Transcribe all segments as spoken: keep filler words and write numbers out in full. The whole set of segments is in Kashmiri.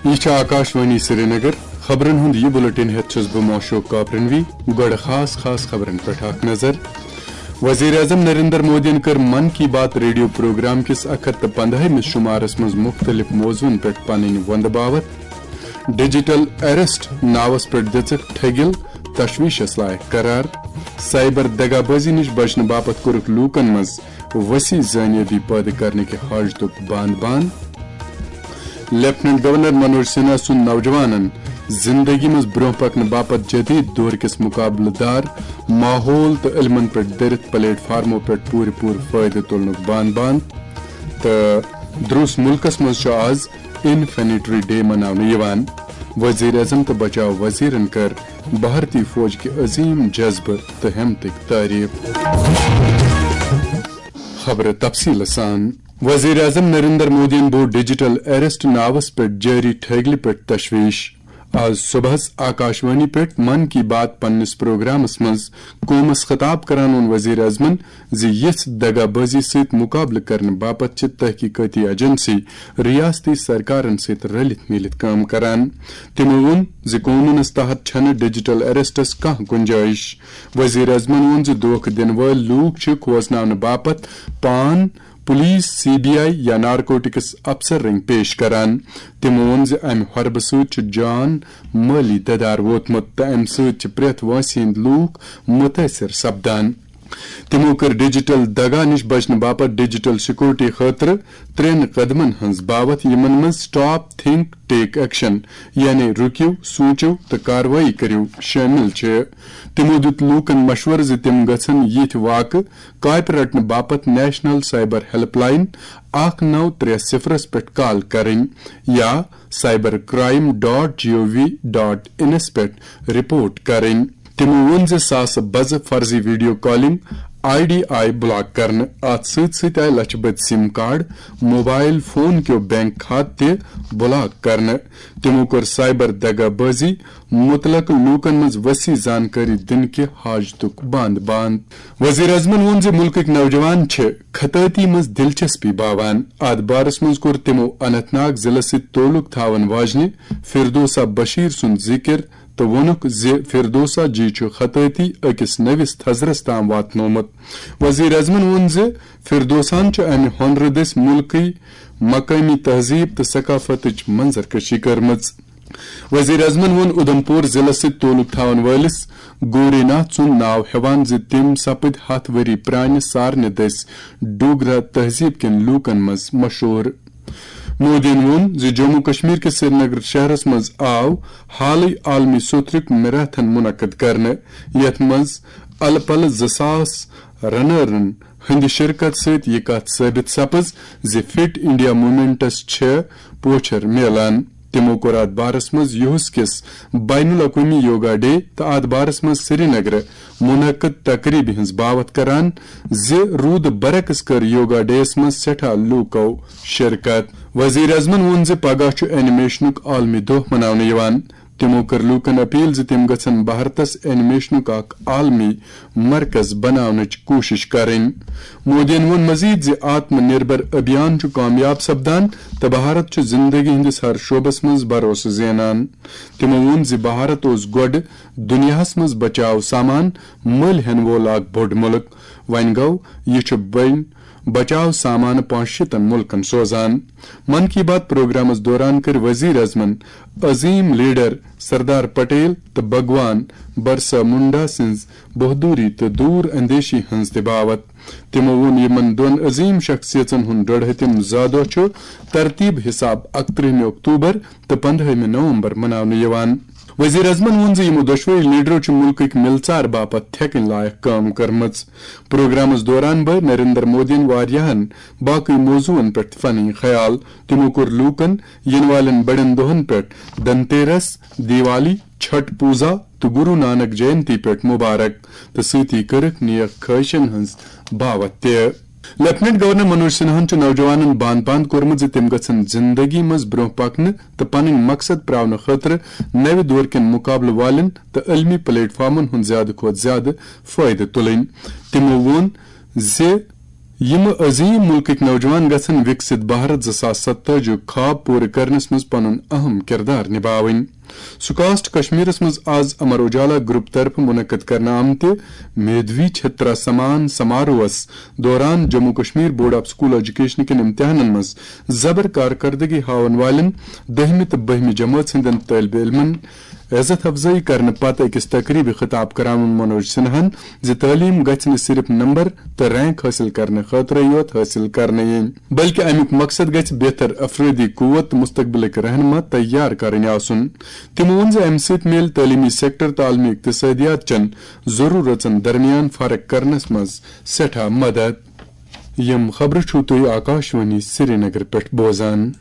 یہِ چھِ آکاشوانی سرینگر۔ خبرن ہُنٛد یہِ بُلٹن ہٮ۪تھ چھُس بہٕ موشوق کاپرنوی۔ گۄڈٕ خاص خاص خبرن پٮ۪ٹھ اکھ نظر۔ وزیر اعظم نریندر مودیَن کٔر من کی بات ریڈیو پروگرام کِس اکھ ہتھ تہٕ پندہٲیمِس شمارس منٛز مُختٔلِف موضوعن پٮ۪ٹھ پنٕنۍ وۄندٕ باوتھ۔ ڈیجیٹل اریسٹ ناوس پٮ۪ٹھ دِژٕکھ ٹھٔگِل، تشویشس لایق قرار۔ سائبر دغابٲزی نِش بچنہٕ باپتھ کوٚرُکھ لوٗکن منٛز وسیع زٲنیٲبی پٲدٕ کرنہٕ کہِ حاجتُک باند باند۔ لیفٹیننٹ گورنر منوج سنہا سُنٛد نوجوانن زندگی منٛز برونٛہہ پکنہٕ باپتھ جدید دور کِس مقابلہٕ دار ماحول تہٕ علمن پٮ۪ٹھ دٔرِتھ پلیٹ فارمو پٮ۪ٹھ پوٗرٕ پوٗرٕ فٲیدٕ تُلنُک باند باند۔ تہٕ دروس مُلکس منٛز چھُ آز انفینٹری ڈے مناونہٕ یِوان۔ وزیر اعظم تہٕ بچاو وزیرن کٔر بھارتی فوج کہِ عظیم جذبہٕ تہٕ ہمتٕکۍ تعریف۔ خبرٕ تفصیٖلہٕ سان۔ وزیر اعظم نریندر مودیَن بوٚو ڈیجیٹل اریسٹ ناوس پٮ۪ٹھ جٲری ٹھٔگلہِ پٮ۪ٹھ تشویش۔ آز صبحس آکاشوانی پٮ۪ٹھ من کی بات پننِس پروگرامس منٛز قومس خطاب کران ووٚن وزیر اعظمن زِ یِژھ دغابٲزی سۭتۍ مقابلہٕ کرنہٕ باپتھ چھِ تحقیقٲتی ایجنسی ریاستی سرکارن سۭتۍ رلِتھ میٖلِتھ کٲم کران۔ تِمو ووٚن زِ قونوٗنس تحت چھنہٕ ڈیجیٹل اریسٹس کانٛہہ گُنجٲیش۔ وزیر اعظمن ووٚن زِ دھوکہٕ دِنہٕ وٲلۍ لوٗکھ چھِ کھوژناونہٕ باپتھ پان پُلیٖس، سی بی آئی یا نارکوٹکس افسر رٔنگۍ پیش کران۔ تِمو ووٚن زِ امہِ حربہٕ سۭتۍ چھُ جان مٲلی ددار ووتمُت تہٕ امہِ سۭتۍ چھِ پرٛٮ۪تھ وٲنٛسہِ ہٕنٛدۍ لوٗکھ مُتٲثِر سپدان۔ تِمو کٔر ڈیجیٹل دغا نِش بچنہٕ باپتھ ڈیجیٹل سیکورٹی خٲطرٕ ترٛٮ۪ن قدمن ہٕنٛز باوتھ، یِمن منٛز Stop, Think, Take Action، یعنی رُکِو، سوٗنٛچِو تہٕ کاروٲیی کٔرِو، شٲمِل چھِ۔ تِمو دیُت لوٗکن مشورٕ زِ تِم گژھن یِتھۍ واقعہٕ کاپہِ رٹنہٕ باپتھ نیشنل سائبر ہیلپ لائن اکھ نو ترٛےٚ صفرس پٮ۪ٹھ کال کرٕنۍ یا سائبر کرائم ڈاٹ جی او وی ڈاٹ انس پٮ۪ٹھ رپورٹ کرٕنۍ۔ تِمو ووٚن زِ ساسہٕ بزٕ فرضی ویڈیو کالنگ آئی ڈی آیہِ بلاک کرنہٕ۔ اتھ سۭتۍ سۭتۍ آیہِ لچھِ بٔدۍ سِم کارڈ، موبائل فون کیو بینک کھاتہٕ تہِ بلاک کرنہٕ۔ تِمو کٔر سائبر دغابٲزی متعلق لوٗکن منٛز وسیع زانکٲری دِنہٕ کہِ حاجتُک باند باند۔ وزیر اعظمن ووٚن زِ مُلکٕکۍ نوجوان چھِ خطٲطی منٛز دلچسپی باوان۔ اتھ بارس منٛز کوٚر تِمو اننت ناگ ضلعس سۭتۍ تعلق تھاون واجنہِ فردوسہ بشیر سُنٛد ذِکر تہٕ ووٚنُکھ زِ فردوسہ جی چھُ خطٲطی أکِس نٔوِس تھزرس تام واتنومُت۔ وزیر اعظمن ووٚن زِ فردوسان چھُ امہِ ہۄنرٕ دٔسۍ مُلکٕے مقٲمی تہذیب تہٕ ثقافتٕچ منظر کشی کٔرمٕژ۔ وزیر اعظمن ووٚن اُدھمپور ضلعس سۭتۍ تعلق تھاون وٲلِس گوری ناتھ سُنٛد ناو ہٮ۪وان زِ تِم سپٕدۍ ہتھ ؤری پرٛانہِ سارنہِ دٔسۍ ڈوگرا تہذیب کٮ۪ن لوٗکن منٛز مشہوٗر۔ مودیَن ووٚن زِ جموں کشمیر کِس سرینگر شہرس منٛز آو حالٕے عالمی سوتھرُک میراتھن منعقد کرنہٕ، یتھ منٛز الہٕ پلہٕ زٕ ساس رنرن ہٕنٛدِ شرکت سۭتۍ یہِ کتھ ثٲبت سپٕز زِ فٹ انڈیا موومنٹس چھےٚ پوچھر میلان۔ تِمو کوٚر اتھ بارس منٛز یُہس کِس بین الاقوٲمی یوگا ڈے تہٕ اتھ بارس منٛز سرینگرٕ منعقد تقریبہِ ہٕنٛز باوتھ کران زِ روٗدٕ برعکس کٔر یوگا ڈے یَس منٛز سٮ۪ٹھاہ لوٗکو شرکت۔ وزیر اعظمن ووٚن زِ پگاہ چھُ اینیمیشنُک عالمی دۄہ مناونہٕ یِوان۔ تِمو کٔر لوٗکن اپیل زِ تِم گژھن بھارتس اینیمیشنُک اکھ عالمی مرکز بناونٕچ کوٗشش کرٕنۍ۔ مودیَن ووٚن مزید زِ آتم نربھر ابھیان چھُ کامیاب سپدان تہٕ بھارت چھُ زندگی ہٕنٛدِس ہر شعبس منٛز بھروسہٕ زینان۔ تِمو ووٚن زِ بھارت اوس گۄڈٕ دُنیاہَس منٛز بچاو سامان مٔلۍ ہٮ۪نہٕ وول اکھ بوٚڑ مُلک۔ وۄنۍ گوٚو، یہِ چھُ بٔنۍ بچاو سامانہٕ پانٛژھ شیٖتن مُلکن سوزان۔ من کی بات پروگرامس دوران کٔرۍ وزیر اعظمن عظیم لیڈر سردار پٹیل تہٕ بھگوان برسا منڈا سٕنٛز بہادری تہٕ دوٗر اندیشی ہٕنٛز تہِ باوتھ۔ تِمو ووٚن یِمن دۄن عظیم شخصیژن ہُنٛد ڈۄڈ ہتِم زا دۄہ چھُ ترتیب حساب اکترٕہمہِ اکتوبر تہٕ پندہٲیمہِ نومبر مناونہٕ یِوان۔ وزیر اعظمن ووٚن زِ یِمو دۄشوٕے لیڈرو چھِ مُلکٕکۍ مِلژار باپتھ تھٮ۪کٕنۍ لایق کٲم کٔرمٕژ۔ پروگرامس دوران بٲوۍ نریندر مودیَن واریاہن باقٕے موضوعن پٮ۪ٹھ تہِ پنٕنۍ خیال۔ تِمو کوٚر لوٗکن یِنہٕ والٮ۪ن بڑٮ۪ن دۄہن پٮ۪ٹھ دھنتیرس، دیوالی، چھٹ پوزا تہٕ گرو نانک جینتی پٮ۪ٹھ مبارک تہٕ سۭتی کٔرٕکھ نیک خواہشن ہٕنٛز باوتھ تہِ۔ لیفٹیننٹ گورنر منوج سنہاہن چھُ نوجوانن باند باند کوٚرمُت زِ تِم گژھن زندگی منٛز برونٛہہ پکنہٕ تہٕ پنٕنۍ مقصد پراونہٕ خٲطرٕ نوِ دور کٮ۪ن مقابلہٕ والٮ۪ن تہٕ عالمی پلیٹ فارمن ہُنٛد زیادٕ کھۄتہٕ زیادٕ فٲیدٕ تُلٕنۍ۔ تِمو ووٚن زِ یِم عظیم ملکٕکۍ نوجوان گژھن وِکسِت بھارت زٕ ساس ستٲجی یُک خواب پوٗرٕ کرنس منٛز پنُن اہم کردار نباوٕنۍ۔ سکاسٹ کشمیرس منٛز آز امر اجالا گروپ طرفہٕ منعقد کرنہٕ آمتہِ میدھوی چھترا سمان سماروہس دوران Jammu Kashmir board of school education کٮ۪ن امتحانن منٛز زبر کارکردگی ہاون والٮ۪ن دٔہمہِ تہٕ بٔہمہِ جمٲژ ہٕنٛدٮ۪ن طٲلبہِ علمن عزت افزٲیی کرنہٕ پتہٕ أکِس تقریبہِ خطاب کران ووٚن منوج سنہاہن زِ تعلیم گژھِ نہٕ صرف نمبر تہٕ رینک حٲصِل کرنہٕ خٲطرَے یوت حٲصِل کرنہٕ یِنۍ، بلکہِ اَمیُک مقصد گژھِ بہتر افرٲدی قوت تہٕ مستقبلٕکۍ رہنما تیار کرٕنۍ آسُن۔ تِمو ووٚن زِ اَمہِ سۭتۍ میلہِ تعلیمی سیکٹر تہٕ عالمی اقتصادیات چٮ۪ن ضروٗرژن درمیان فرق کرنس منٛز سٮ۪ٹھاہ مدد۔ یِم خبرٕ چھِو تُہۍ آکاشوانی سرینگر پٮ۪ٹھ بوزان۔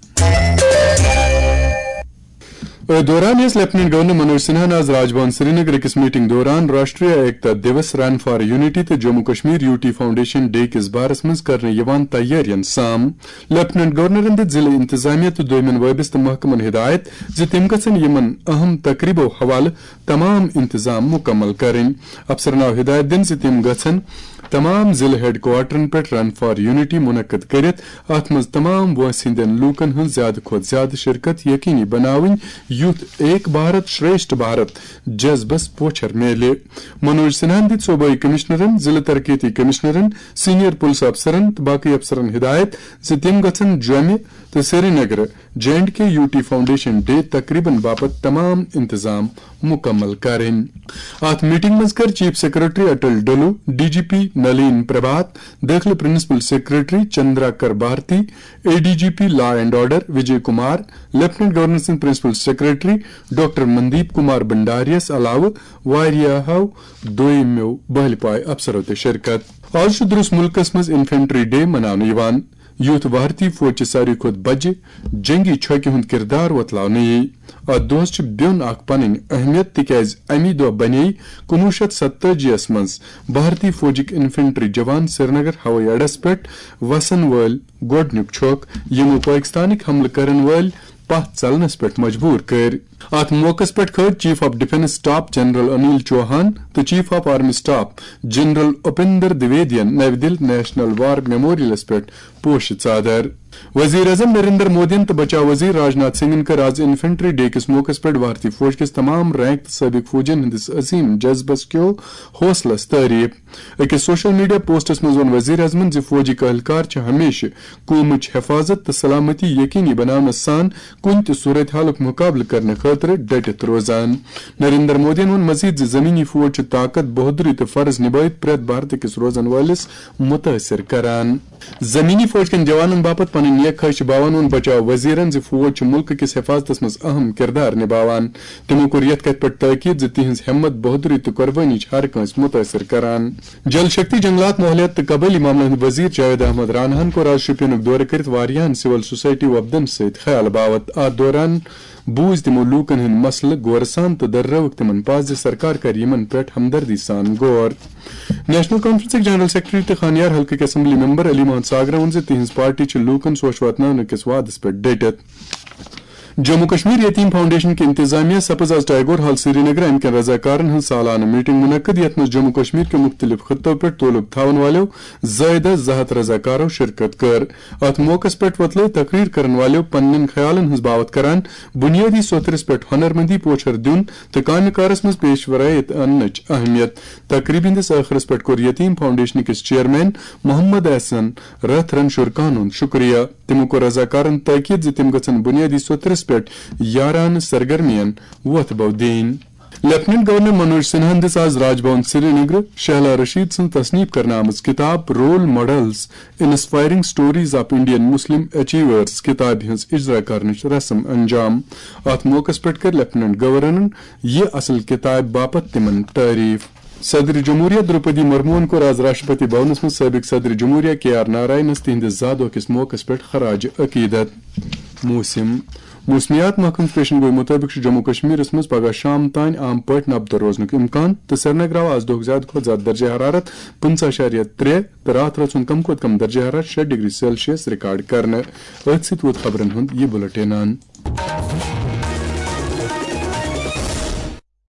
أتھۍ دوران یۄس لیفٹیننٹ گورنر منوج سنہاہن آز راج بھون سرینگر أکِس میٹنگ دوران Rashtriya Ekta Diwas, run for unity تہٕ Jammu Kashmir U T foundation day کِس بارس منٛز کرنہٕ یِوان تیٲرین سام۔ لیفٹیننٹ گورنرن دِژ ضلعہٕ انتظامیہ تہٕ دویمٮ۪ن وٲبستہٕ محکمن ہدایت زِ تِم گژھن یِمن اہم تقریبو حوالہٕ تمام انتظام مکمل کرٕنۍ۔ افسرن آو ہدایت دِنہٕ زِ تِم گژھن تمام ضلعہٕ ہیڈ کوارٹرن پٮ۪ٹھ رن فار یونٹی منعقد کٔرِتھ۔ اتھ منٛز تمام وٲنٛسہِ ہٕنٛدٮ۪ن لوٗکن ہٕنٛز زیادٕ کھۄتہٕ زیادٕ شرکت یقینی بناوٕنۍ، یُتھ ایک بھارت شریشٹھ بھارت جذبس پوچھر میلہِ۔ منوج سنہاہن دِتۍ صوبٲئی کمشنرن، ضلعہٕ ترقیتی کمشنرن، سینئر پُلسہٕ افسرن تہٕ باقٕے افسرن ہدایت زِ تِم گژھن جوٚمہِ تہٕ سرینگرٕ J and K U T foundation day تقریبن باپتھ تمام انتظام مکمل کرٕنۍ۔ اتھ میٹنگ منٛز کٔر chief secretary Atal Dullo, D G P Nalin Prabhat, دٲخلہٕ principal secretary Chandraker Bharti, A D G P law and order Vijay Kumar, lieutenant governor سٕنٛدۍ principal secretary doctor Mandeep Kumar بھنڈاریَس علاوٕ واریاہو دویمو بہلہِ پایہِ افسرو تہِ شرکت۔ آز چھُ درس ملکس منٛز انفنٹری ڈے مناونہٕ یِوان، یُتھ بھارتی فوج چہِ ساروی کھۄتہٕ بجہِ جنگی چھۄکہِ ہُنٛد کردار وۄتلاونہٕ یِیہِ۔ اتھ دۄہس چھِ بیوٚن اکھ پنٕنۍ اہمیت، تِکیازِ امی دۄہ بنے کُنوُہ شیٚتھ ستٲجی یس منٛز بھارتی فوجٕکۍ انفنٹری جوان سرینگر ہوٲیی اڈس پٮ۪ٹھ وسن وٲلۍ گۄڈٕنیُک چھۄکھ، یِمو پٲکستانٕکۍ حملہٕ کرن وٲلۍ پتھ ژلنس پٮ۪ٹھ مجبوٗر کٔرۍ۔ اتھ موقعس پٮ۪ٹھ کھٲج chief of defence staff general Anil Chauhan تہٕ chief of army staff general Upendra دویدین نَوِ دِلہِ نیشنل وار میموریلس پٮ۪ٹھ پوشہِ ژادر۔ وزیر اعظم نریندر مودیَن تہٕ بچاو وزیر راجناتھ سنگھن کٔر آز انفنٹری ڈے کِس موقعس پٮ۪ٹھ بھارتی فوج کِس تمام رینک تہٕ سٲبق فوجین ہٕنٛدِس عظیم جذبس کیو حوصلس تعریف۔ أکِس سوشل میڈیا پوسٹس منٛز ووٚن وزیر اعظمن زِ فوجی اہلکار چھِ ہمیشہٕ قومٕچ حفاظت تہٕ سلامتی یقینی بناونس سان کُنہِ تہِ صورت حالُک مُقابلہٕ کرنہٕ خٲطرٕ ڈٹِتھ روزان۔ نریندر مودیَن ووٚن مزید زِ زمینی فوج چھُ طاقت، بہادری تہٕ فرض نبٲوِتھ پرٛٮ۪تھ بھارتہٕ کِس روزن وٲلِس مُتٲثِر کران۔ زمینی فوج کٮ۪ن جوانن باپتھ پنٕنۍ نیک خواہش باوان ووٚن بچاو وزیرن زِ فوج چھُ مُلکہٕ کِس حفاظتس منٛز اہم کردار نباوان۔ تِمو کوٚر یتھ کتھِ پٮ۪ٹھ تاکید زِ تِہنٛز ہمت، بہادری تہٕ قربٲنی چھِ ہر کٲنٛسہِ مُتٲثِر کران۔ جل شکتی، جنگلات، ماحولیات تہٕ قبٲئلی معاملن ہٕنٛدۍ وزیر جاوید احمد راناہن کوٚر آز شوپینُک دورٕ کٔرِتھ واریاہن سول سوسائٹی وفدن سۭتۍ خیال باوتھ۔ اتھ دوران بوٗزۍ تِمو لوٗکن ہٕنٛدۍ مسلہٕ غورٕ سان تہٕ دٔررٲوٕکھ تِمن پَزِ زِ سرکار کرِ یِمن پٮ۪ٹھ ہمدردی سان غور۔ نیشنل کانفرنسٕکۍ جنرل سیکرٹری تہٕ خانیار حلقٕکۍ اسمبلی ممبر علی محمد ساگرن ووٚن زِ تِہنٛز پارٹی چھِ لوٗکن سوچھ واتناونہٕ کِس وعدس پٮ۪ٹھ ڈٔٹِتھ۔ جموں کشمیر یتیم فاؤنڈیشن کہِ انتظامیہ سپز آز ٹیگور ہال سرینگر امہِ کٮ۪ن رضاکارن ہٕنٛز سالانہٕ میٹنگ منعقد، یتھ منٛز جموں کشمیر کیو مُختٔلِف خطو پٮ۪ٹھ تعلق تھاون والٮ۪و زٲیدٕ زٕ ہتھ رضاکارو شرکت کٔر۔ اتھ موقعس پٮ۪ٹھ وۄتلٲو تقریر کرن والٮ۪و پننٮ۪ن خیالن ہٕنٛز باوتھ کران بنیٲدی سوتھرس پٮ۪ٹھ ہنرمندی پوچھر دیُن تہٕ کامہِ کارس منٛز پیشورٲیت اننٕچ اہمیت۔ تقریبہِ ہٕنٛدِس ٲخرس پٮ۪ٹھ کوٚر یتیم فاؤنڈیشن کِس چیئرمین محمد احسن رتھ رنشور خانُن شکریہ۔ تِمو کوٚر رضاکارن تاکید زِ تِم گژھن بنیٲدی سوتھرس پٮ۪ٹھ یارانہٕ سرگرمین وۄتھ بو دِنۍ۔ لیفٹیننٹ گورنر منوج سنہاہن دِژ آز راج بھون سرینگر شہلا رشید سٕنٛز تصنیف کرنہٕ آمٕژ کتاب role models, inspiring stories of Indian Muslim achievers کتابہِ ہٕنٛز اجرا کرنٕچ رسم انجام۔ اتھ موقعس پٮ۪ٹھ کٔر لیفٹیننٹ گورنرن یہِ اصل کتابہِ باپتھ تِمن تعریف۔ صدر جمہوریہ درٛوپدی مرموہن کوٚر آز راشٹرپتی بھونس منٛز سٲبق صدر جمہوریہ کے آر ناراینس تِہنٛدِس زا دۄہ کِس موقعس پٮ۪ٹھ خراج عقیدت۔ موسم۔ موسمیات محکمہٕ پیشن گوئی مُطٲبِق چھُ جموں کشمیرس منٛز پگہہ شام تام عام پٲٹھۍ نبدٕ روزنُک امکان تہٕ سرینگر آو آز دۄہُک زیادٕ کھۄتہٕ زیادٕ درجہ حرارت پٕنٛژٕہ اَشاریہ ترٛےٚ تہٕ راتھ رٲژ ہُنٛد کم کھۄتہٕ کم درجہ حرارت شےٚ ڈگری سیلسیس ریکارڈ کرنہٕ۔ أتھۍ سۭتۍ ووت خبرن ہُنٛد یہِ بُلٹن۔